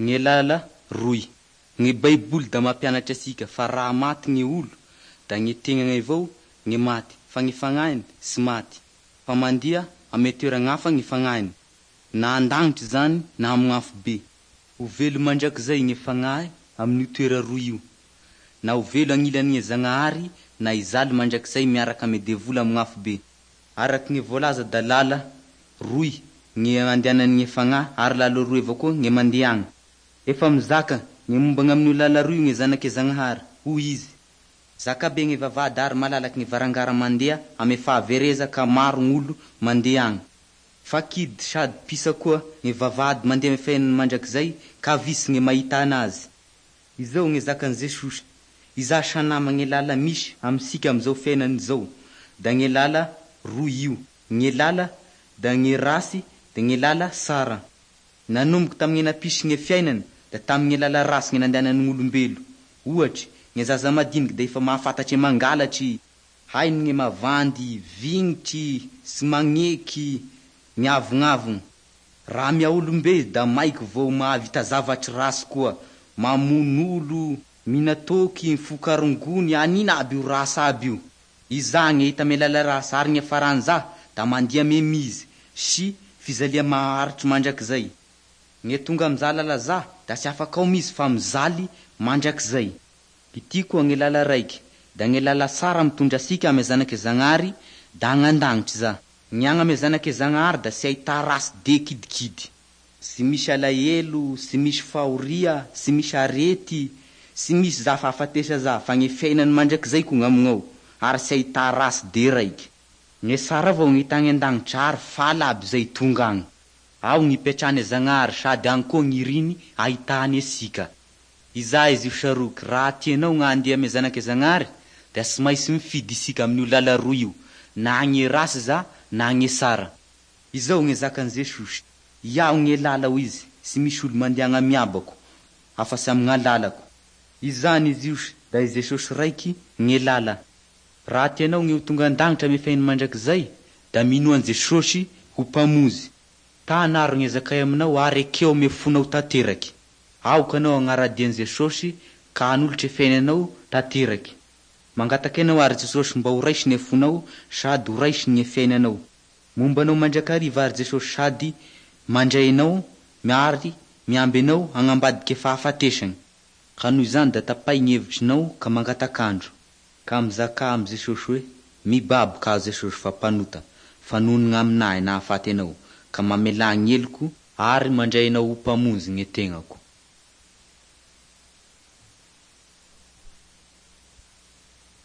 Gne lala roy. Gne baiboly da mampianatry asika fa raha maty gne olo da gne tegnany avao gne maty fa gne fagnahiny sy maty fa mandeha ame toera gn'hafa gne fagnahiny, na an-dagnitry zany na amign'afobe. Ho velo mandrakizay gne fagnahy amin'io toera roy io, na ho velo agnilanigne Zagnahary na hizaly mandrakizay miaraka ame devoly amign'afobe. Araky gne voalaza da lala roy gne andehanan'gne fagnahy ary lala roy avao koa gne mandeha agny. Efa mizaka gne momba gn'amin'io lala roy io gne zanake Zagnahary, hoy izy. Zakabe gne vavahady ary malalaky gne varangara mandeha ame fahavereza ka maro gn'olo mandeha agny. Fa kidy sady pisa koa gne vavahady mandeha ame fiainana mandrakizay ka visy gne mahita anazy. Izao gne zakan'i Jesosy, Iza sa nama gne lala misy amisika amizao fiainana izao da gne lala roy io, gne lala da gne rasy da gne lala sara. Nanomboky tamigne nampisy gne fiainana da tamigne lala rasy gne nandehanan'olombelo. Ohatry, gne zaza madiniky da efa mahafantatry e mangalatry, hainy gne mavandy, vignitry, sy magneky, miavognavogno. Raha miha-olombe izy da maiky vao mahavita zavatry rasy koa, mamono olo, mihina toaky, mifoka rongony, anina aby io rasy aby io. Iza gne hita ame lala rasy ary gn'iafaran'iza da mandeha ame mizy sy fizalia maharitry mandrakizay. Gne tonga amiza lala za da sy afaky ao mizy fa mizaly mandrakizay. Ity koa gne lala raiky, da gne lala sara mitondra asika ame zanake Zagnahary da agny an-dagnitry za. Ny agny ame zanake Zagnahary da sy ahità rasy de kidikidy. Sy misy alahelo, sy misy fahoria, sy misy arety, sy misy za fahafatesa za fa gne fiainany mandrakizay koa gn'amignao ary sy ahità rasy de raiky. Gne sara avao gne hita agny an-dagnitry ary faly aby zay tonga agny. Ao gn'ipetrahane Zagnahary sady agny koa gn'iriny ahitany asika. Iza izy io saroky, raha tianao gn'andeha ame zanake Zagnahary da sy mainsy mifidy isika amin'io lala roy io, na gne rasy za na gne sara. Izao gne zakan'i Jesosy, Iaho gne lala hoy izy, sy misy olo mandeha agny amy Abako afa-sy amign'alalako. Izany izy io da i Jesosy raiky gne lala. Raha tianao gne ho tonga an-dagnitry ame fiainany mandrakizay da minoa an'i Jesosy ho mpamonzy. Tana aro gne zakay aminao ary ekeo ame fonao tanteraky. Aoka anao hagnaradia an'i Jesosy ka hanolotry e fiainanao tanteraky. Mangataky anao ary Jesosy mba ho raisiny e fonao sady ho raisiny gne fiainanao. Momba anao mandrakariva ary Jesosy sady mandray anao ary miamby anao agn'ambadike fahafatesagny. Ka noho izany da tapahy gny hevitrinao ka mangatak'andro, ka mizakà amy Jesosy hoe, Mibaboka aho Jesosy fa mpanota fa noho ny gn'aminahy nahafaty Anao ka mamelà gny heloko ary mandray Anao ho Mpamonjy gne tegnako.